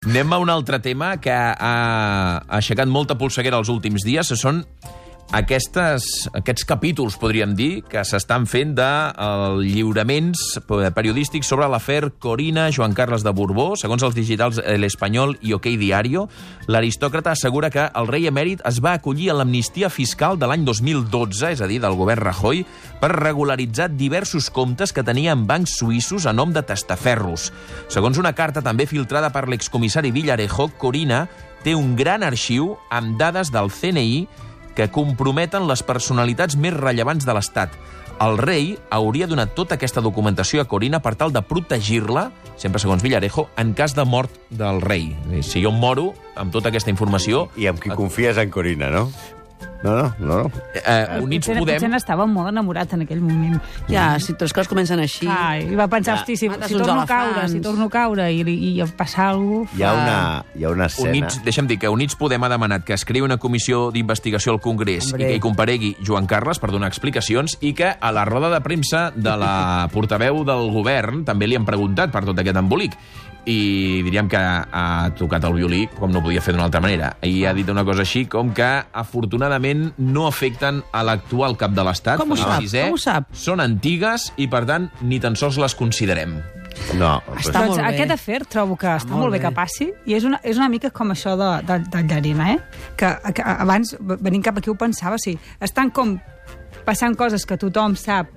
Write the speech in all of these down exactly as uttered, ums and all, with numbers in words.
Anem a un altre tema que ha aixecat molta polseguera els últims dies. Són aquestes, aquests capítols, podríem dir, que s'estan fent de uh, lliuraments periodístics sobre l'afer Corina Joan Carles de Borbó. Segons els digitals El Espanyol i OK Diario, l'aristòcrata assegura que el rei emèrit es va acollir a l'amnistia fiscal de l'any dos mil dotze, és a dir, del govern Rajoy, per regularitzar diversos comptes que tenia en bancs suïssos a nom de testaferros. Segons una carta també filtrada per l'excomissari Villarejo, Corina té un gran arxiu amb dades del C N I que comprometen les personalitats més rellevants de l'Estat. El rei hauria donat tota aquesta documentació a Corina per tal de protegir-la, sempre segons Villarejo, en cas de mort del rei. Si jo em moro amb tota aquesta informació... I amb qui confies en Corina, no? No, no, no. no. Eh, Units potser, Podem... Potser n'estava molt enamorat en aquell moment. Ja, si les coses comencen així... Ah, i va pensar, ja, hosti, si, mates si uns torno a caure, elefants. si torno a caure i, i, i passar alguna cosa... Hi ha una, hi ha una escena... Units, deixa'm dir que Units Podem ha demanat que es creï una comissió d'investigació al Congrés Hombre. i que hi comparegui Joan Carles per donar explicacions i que a la roda de premsa de la portaveu del govern també li han preguntat per tot aquest embolic. I diríem que ha tocat el violí com no podia fer d'una altra manera. I ha dit una cosa així com que, afortunadament, no afecten a l'actual cap de l'Estat. Com ho sap? Com ho sap? Són antigues i, per tant, ni tan sols les considerem. No, Està Doncs molt bé. aquest afer trobo que està molt molt bé bé. que passi, i és una, és una mica com això de, de, de Llarena, eh? Que, que abans, venint cap aquí, ho pensava, sí, estan com passant coses que tothom sap,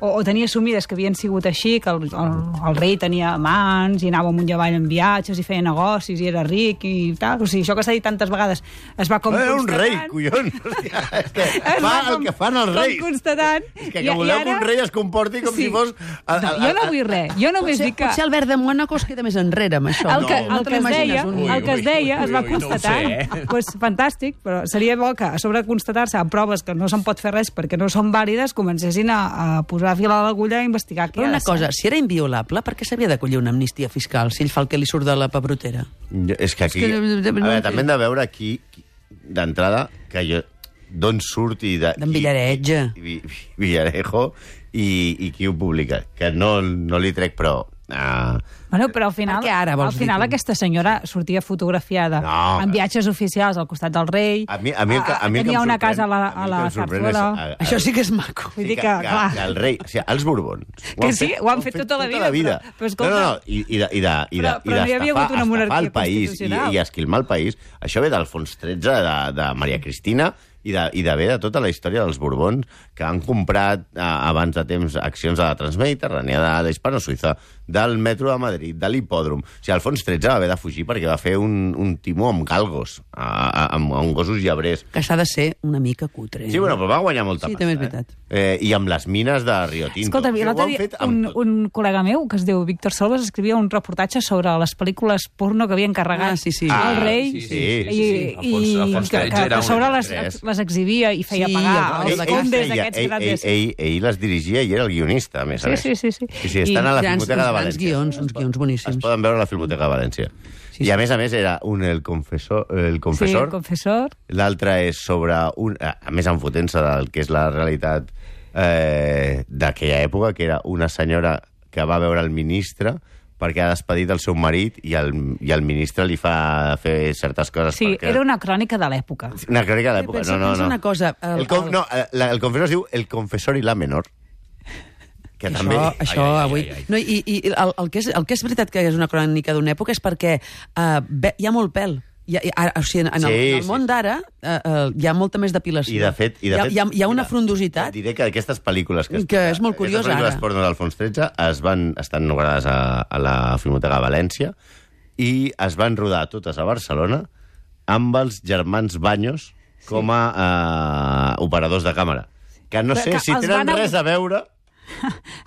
o, o tenia assumides que havien sigut així, que el, el, el rei tenia amants i anava amunt i avall en viatges i feia negocis i era ric i tal. O sigui, això que s'ha dit tantes vegades es va com Era un rei, constatant. collons! Hòstia, és que Es fa va el com- que fan els reis. Com constatant. És que, I- que voleu i que un ara- rei es comporti com Sí. si fos... A, a, No, jo no vull res. Jo només Potser, dic que... potser Albert de Mónaco es queda més enrere amb això. El que, no, el te que es l'imagines, deia, un- el que es deia es va ui, ui, no ho constatar. sé, eh? Pues, fantàstic, però seria bo que a sobre de constatar-se amb proves que no se'n pot fer res perquè no són vàlides, comencessin a, a posar fil a l'agulla i investigar què Però ha una de ser. cosa, si era inviolable, per què s'havia d'acollir una amnistia fiscal si ell fa el que li surt de la pebrotera? Jo- És que aquí... És que a no- no- veure, no- també hem de veure aquí, d'entrada, que jo d'on surt i de... D'en i- Villaretge. i- i- Villarejo i, i qui ho publica. Que no, no li trec, però... Uh, Bueno, però al final, Per què ara, vols al final dir tu? aquesta senyora sortia fotografiada No. en viatges oficials al costat del rei. a mi, a mi, el que, a mi el que tenia em una sorprèn- casa a la, mi a el la que em sorprèn és, Zarzuela. a- a- Això sí que és maco. Vull dir que, que, que, clar. que el rei... O sigui, els Borbons... ho Que han sí, ho han fet tota la vida, però- però escolta- no, no, no, i, i de, i de, i de, Però- i però no hi havia d'estafar- hagut una estafar monarquia el país i, constitucional. i esquilmar el país. Això ve d'Alfons tretze, de, de Maria Cristina, i de, i de bé de tota la història dels Borbons, que han comprat eh, abans de temps accions de la Transmediterrània, de l'Hispano-Suïssa, del metro de Madrid, de l'hipòdrom. O sigui, Alfons tretze va haver de fugir perquè va fer un, un timó amb galgos, a, a, amb, amb gossos llebrers. Que s'ha de ser una mica cutre. Sí, bueno, però va guanyar molta Sí, pasta. també és veritat. Eh? Eh, I amb les mines de Rio Tinto. Escolta, O sigui, ho l'altre han dia fet amb un, tot. un col·lega meu, que es diu Víctor Solves, escrivia un reportatge sobre les pel·lícules porno que havien carregat Ah, sí, sí. al Ah, rei sí, sí, i, sí, sí. i, Alfons- Alfons que, tretze que, era que a sobre un les, tres. les exhibia i feia Sí, pagar el- als el- condes feia- aquests ell, grans. ell, ell, ell les dirigia i era el guionista, a més a Sí, més. sí, sí, sí. Sí, sí, estan I a la grans- Filmoteca de uns grans València. guions, uns guions boníssims. Es poden veure a la Filmoteca de València. Sí, I sí. a més a més era un el confessor, el Sí, confessor, el confessor. l'altre és sobre un... A més, enfotent-se del que és la realitat eh, d'aquella època, que era una senyora que va veure el ministre perquè ha despedit el seu marit i el, i el ministre li fa fer certes coses. Sí, perquè... era una crònica de l'època. Una crònica de l'època, Pensa- no, no, pensa no. una cosa, el- El, com, el- no, el, el confessor es diu El confessor i la menor. Que Això, també... això Ai, ai, ai, avui... ai, ai. No, I i el, el, que és, el que és veritat que és una crònica d'una època és perquè uh, ve, hi ha molt pèl. Hi ha, hi ha, o sigui, en, el, Sí, en el sí. món d'ara uh, uh, hi ha molta més depilació. I de fet... I de hi, ha, fet hi, ha, hi ha una mira, frondositat. et diré que aquestes pel·lícules... Que, Que és molt curiós, aquestes pel·lícules ara. porno d'Alfons tretze es van, estan guardades a, a la Filmoteca de València i es van rodar totes a Barcelona amb els germans Baños com a eh, operadors de càmera. Que no Però sé que si els tenen van a- res a veure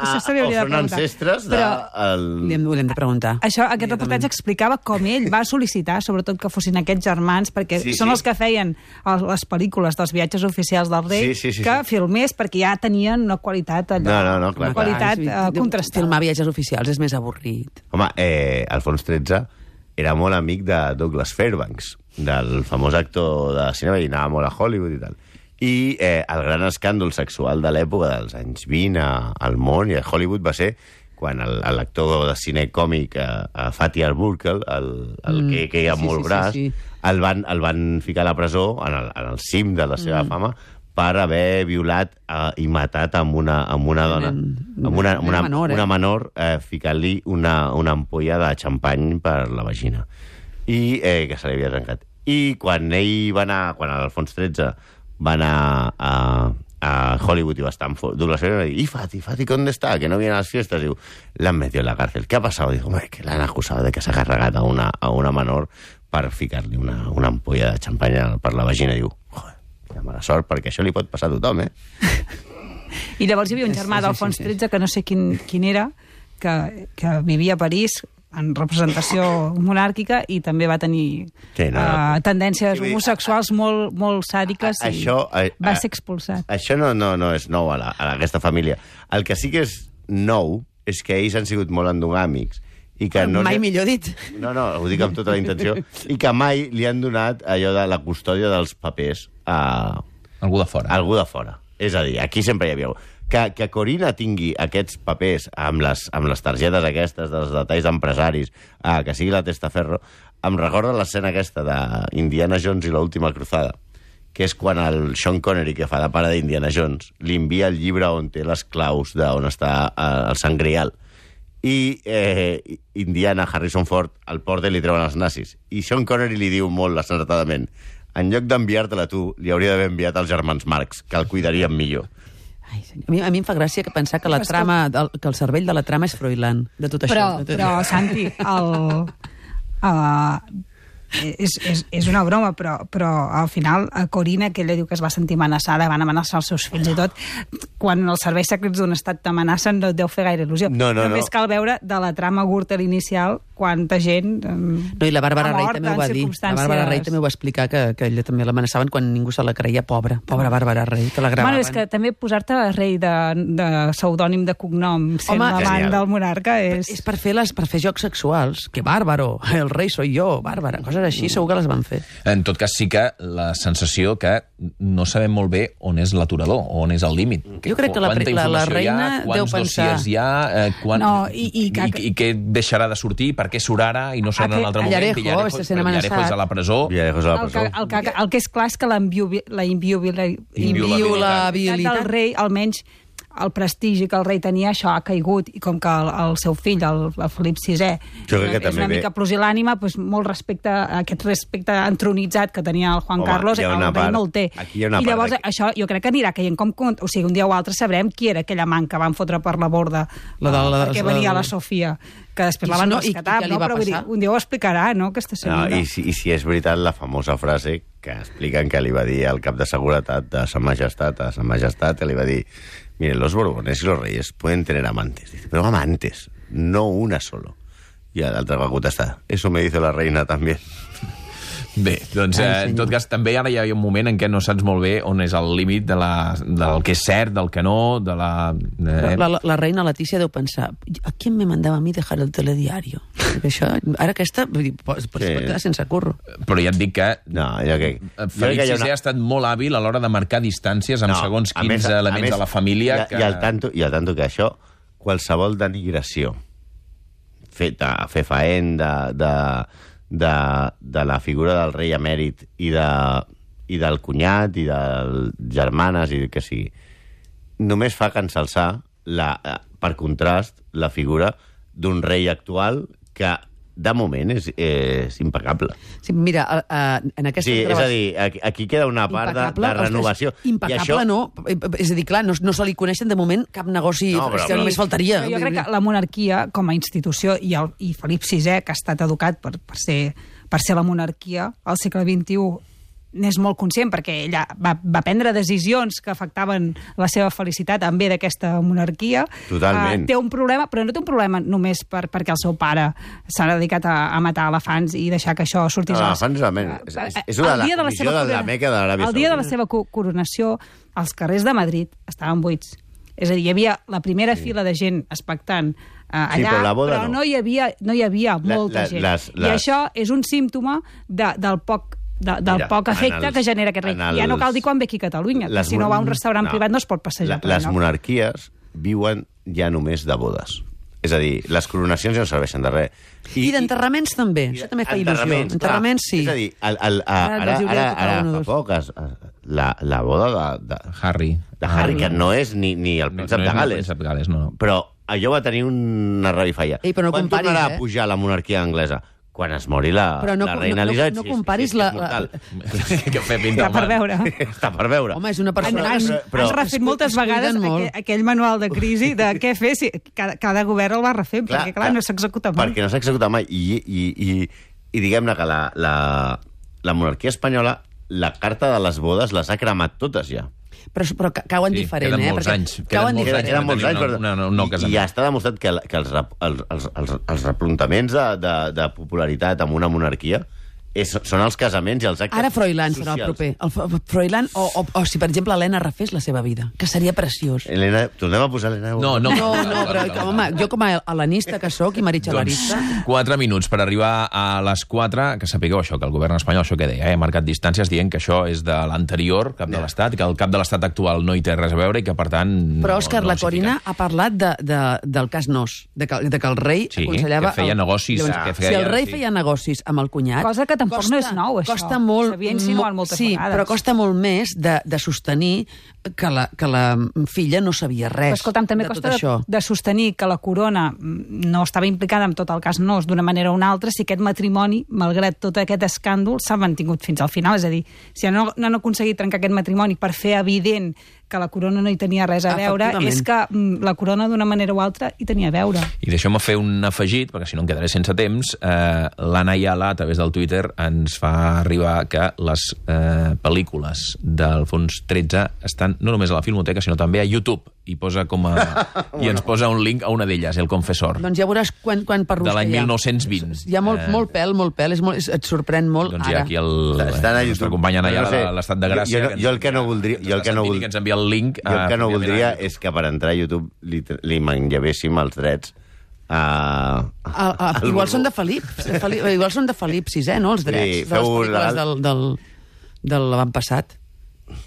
Això se li o hauria de són preguntar. ancestres de... Però- El... Li hem, li hem de preguntar. Això, aquest reportatge explicava com ell va sol·licitar, sobretot que fossin aquests germans, perquè Sí, sí, són sí. els que feien el, les pel·lícules dels viatges oficials del rei, Sí, sí, sí, que sí. filmés perquè ja tenien una qualitat allò, No, no, no, clar, una clar. qualitat Sí, eh, contrastada. Filmar viatges oficials és més avorrit. Home, eh, Alfons tretze era molt amic de Douglas Fairbanks, del famós actor de cinema, i anava molt a Hollywood i tal. I eh, el gran escàndol sexual de l'època dels anys vint a, al món i a Hollywood va ser quan l'actor de cine còmic, a, a Fatih Arbuckle, el, el mm, que, que hi ha sí, molt sí, gras, sí, sí. El, van, el van ficar a la presó, en el, en el cim de la seva mm. fama, per haver violat uh, i matat amb una, amb una dona, amb una, amb una, menor, eh? una menor, eh, ficant-li una, una ampolla de xampany per la vagina, i eh, que se li havia trencat. I quan ell va anar, quan Alfons tretze va anar a... a Hollywood y va a Stanford, Douglas Fairbanks, y Fati, Fati, ¿dónde está? Que no viene a las fiestas. Digo, la han metido en la cárcel. ¿Qué ha pasado? Digo, hombre, que la han acusado de que s'ha carregat a una, a una menor per ficar-li una, una ampolla de xampanya per la vagina. Diu, joder, que mala sort, perquè això li pot passar a tothom, eh? I llavors hi havia un germà d'Alfons tretze, que no sé quin, quin era, que, que vivia a París, en representació monàrquica, i també va tenir sí, no, no. Uh, tendències sí, homosexuals molt, molt sàdiques, a, a, i això, a, va ser expulsat. Això no, no, no és nou a, la, a aquesta família. El que sí que és nou és que ells han sigut molt endogàmics, i que no mai li... millor dit. No, no, ho dic amb tota la intenció. I que mai li han donat allò de la custòdia dels papers a... Algú de fora. A algú de fora. És a dir, aquí sempre hi havia... Que, que Corina tingui aquests papers amb les, amb les targetes aquestes dels detalls d'empresaris, ah, que sigui la testaferro, em recorda l'escena aquesta d'Indiana Jones i l'última cruzada, que és quan el Sean Connery, que fa de pare d'Indiana Jones, li envia el llibre on té les claus d'on està el Sant Grial. I eh, Indiana, Harrison Ford, al porta li treuen els nazis. I Sean Connery li diu molt acertadament, en lloc d'enviar-te-la tu, li hauria d'haver enviat als germans Marx, que el cuidarien millor. Ai, a, mi, a mi em fa gràcia que pensar que la trama, del, que el cervell de la trama és Froilán, de tot però, això. De tot però, Santi, el... Uh, és, és, és una broma, però, però al final a Corina, que ella diu que es va sentir amenaçada, van amenaçar els seus fills i tot, quan els serveis secrets d'un estat t'amenacen no et deu fer gaire il·lusió. No, no, Només no. cal veure de la trama Gürtel inicial quanta gent no, i la Bàrbara Rey també ho va dir. La Bàrbara Rey també ho va explicar, que, que ella també l'amenaçaven quan ningú se la creia, pobra, pobra Bàrbara Rey, que la gravaven. Bueno, és que també posar-te Rei de, de pseudònim de cognom sent l'amant del monarca és... És per fer, les, per fer jocs sexuals, que bàrbaro, el rei soy jo, bàrbara, coses així segur que les van fer. En tot cas, sí que la sensació que no sabem molt bé on és l'aturador, on és el límit. Jo crec que la, la, la reina ha, deu pensar... Quants dossiers hi ha, eh, quan, no, i, i, que... i, i què deixarà de sortir, per què surt ara i no surt en un altre moment. Villarejo, Villarejo, està sent amenaçat. Villarejo és a la presó. Villarejo és a la presó. El que, el, que, el que és clar és que la inviolabilitat del rei, almenys el prestigi que el rei tenia, això ha caigut, i com que el, el seu fill, el, el Felip sisè, jo crec que és també una mica pusil·lànime, doncs molt respecte a aquest respecte entronitzat que tenia el Juan Home, Carlos, el rei part, no el té. I llavors de... això jo crec que anirà caient com... O sigui, un dia o altre sabrem qui era aquella man que van fotre per la borda la de, la, perquè la, venia la, la Sofia, que després la van no, rescatar, i, i no? Però dir, un dia ho explicarà, no?, aquesta senyora. No, i, si, I si és veritat la famosa frase que expliquen que li va dir al cap de seguretat de Sa Majestat a Sa Majestat, que li va dir: miren, los Borbones y los Reyes pueden tener amantes. Dice, pero amantes, no una solo. I l'altre va contestar: eso me dice la reina també. Bé, doncs eh, en tot cas també ara hi ha un moment en què no saps molt bé on és el límit de la, del que és cert, del que no, de la... Eh... La, la, la reina Letícia deu pensar: ¿a quién me mandaba a mí dejar el telediario? Perquè això, ara aquesta vull dir, pot, pot sí. quedar sense curro. Però ja et dic que... No, jo que... Felip sisè una... ha estat molt hàbil a l'hora de marcar distàncies amb no, segons quins més, elements més, de la família. I, que... i, al tanto, I al tanto que això, qualsevol denigració feta a fer faent de... de De, de la figura del rei emèrit i, de, i del cunyat i de germanes i que sigui, només fa que ensalçar la, per contrast la figura d'un rei actual que de moment és, és impecable. Sí, mira, uh, en aquesta sí, gravació... És a dir, aquí, aquí queda una part de, de renovació. Impecable, I això... no. És a dir, clar, no, no se li coneixen de moment cap negoci, no, però, però, només faltaria. Jo crec que la monarquia, com a institució, i, el, i Felip sisè, que ha estat educat per, per, ser, per ser la monarquia al segle vint-i-u, n'és molt conscient, perquè ella va, va prendre decisions que afectaven la seva felicitat en bé d'aquesta monarquia. Totalment. Uh, té un problema, però no té un problema només per, perquè el seu pare s'ha dedicat a, a matar elefants i deixar que això sortís... No, elefants realment. Uh, és, és una de la comissió de la Meca de l'Aràbia Saudita. El dia de la seva coronació, els carrers de Madrid estaven buits. És a dir, hi havia la primera sí. fila de gent expectant uh, allà, sí, però, però no. no hi havia, no hi havia molta la, la, gent. les, les... I això és un símptoma de, del poc De, del Mira, poc efecte els, que genera aquest rei. Els, ja no cal dir quan ve aquí a Catalunya, que si no va a un restaurant no, privat no es pot passejar. La, les monarquies viuen ja només de bodes. És a dir, les coronacions ja no serveixen de res. I, I d'enterraments també, això també fa il·lusió. Enterraments, sí. És a dir, el, el, a, ara, ara, ara, ara fa poc, es, la, la boda de, de Harry. De Harry, que no és ni, ni el príncep no, no de Gales. El príncep de Gales, no, no. Però allò va tenir una revifalla. Ei, però no Quan comparis, tornarà eh? a pujar la monarquia anglesa? Quan es mori la, no, la reina no, Elisabet. No, no comparis sí, la... la... que fer pinta Està per veure. Està per veure. Home, és una persona... Has, però, però, has refet moltes vegades aquell, aquell manual de crisi de què fer si cada, cada govern el va refer, clar, perquè clar, clar, no s'executa mai. Perquè no s'executa mai. I, i, i, i diguem-ne que la, la, la monarquia espanyola, la carta de les bodes les ha cremat totes ja. Però, però cauen sí, diferent, queden eh? molts perquè anys. Cauen molts diferent. Queden molts anys, però... Una, una, una I, i ja està demostrat que, que els, els, els, els, els replantaments de, de, de popularitat amb una monarquia és, són els casaments i els actes Ara Froilán socials. serà el proper. El Froilán, o, o, o si, per exemple, Helena refés la seva vida, que seria preciós. Helena, tornem a posar Helena... No, no. No, no, però, que, home, jo com a helenista que sóc i meritxalarista... Doncs quatre minuts per arribar a les quatre, que sapigueu això, que el govern espanyol, això que deia, eh, ha marcat distàncies dient que això és de l'anterior cap de l'Estat, que el cap de l'Estat actual no hi té res a veure i que, per tant... Però, Òscar, no, no la Corina ha parlat de, de, del cas Nos, de que, de que el rei sí, aconsellava... que feia el, negocis. Llavors, Que feia, si el rei sí. feia negocis amb el cunyat... Cosa que tampoc costa, no és nou, això. Costa molt... S'havia insinuat moltes sí, vegades. però costa molt més de, de sostenir que la, que la filla no sabia res. Però, escolta'm, també de costa tot de, això. de sostenir que la corona no estava implicada en tot el cas Nos d'una manera o una altra si aquest matrimoni, malgrat tot aquest escàndol, s'ha mantingut fins al final. És a dir, si no, no han aconseguit trencar aquest matrimoni per fer evident que la corona no hi tenia res a veure, és que la corona d'una manera o altra hi tenia a veure. I deixeu-me fer un afegit, perquè si no em quedaré sense temps. Eh, L'Anna Ayala, a través del Twitter, ens fa arribar que les eh, pel·lícules d'Alfons tretze estan no només a la Filmoteca, sinó també a YouTube. I, posa com a, i ens posa un link a una d'elles, El Confessor. Doncs ja veuràs quan, quan perrusca de l'any hi ha. mil nou-cents vint. Hi ha molt, eh, molt pèl, molt pèl, és molt, és, et sorprèn molt doncs ara. hi ha aquí el, Estan a el nostre company Anna Ayala, no sé, de l'Estat de Gràcia. Jo, jo, jo el que no voldria... Jo el que no, vold... que ens envia el link. Jo el que no a, voldria és que per entrar a YouTube li, li manllevéssim els drets a... A, a, igual són de Felip, Felip, igual són de Felip sisè, no, els drets Sí, de les feu pel·lícules legal. del, del, de l'avantpassat.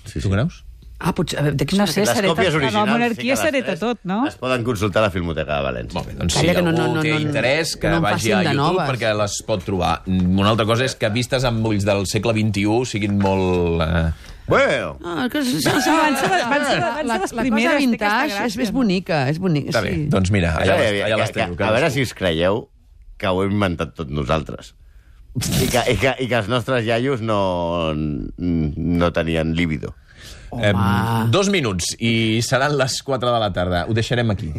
Sí, Tu creus? Ah, potser... a veure, de qui No són sé, Les s'hereta- còpies la originals... monarquia sí que les s'hereta tres tot, no? Es poden consultar a la Filmoteca de València. Molt bé, doncs si Calla, que algú no, no, no, té no, interès, que no en vagi facin a de YouTube noves. perquè les pot trobar. Una altra cosa és que vistes amb ulls del segle vint-i-u siguin molt... Eh... Bueno, Ah, que, sí, sí, van ser- van ser- van ser la, les la cosa primeres, té aquesta vintage és, gràcia, és no? bonica, és bonica. Està bé, sí. doncs mira, allà, que, les, allà que, les que, teniu. a veure si us creieu que ho hem inventat tot nosaltres. I que, i que, i que els nostres iaios no, no tenien líbido. Eh, dos minuts i seran les quatre de la tarda. Ho deixarem aquí.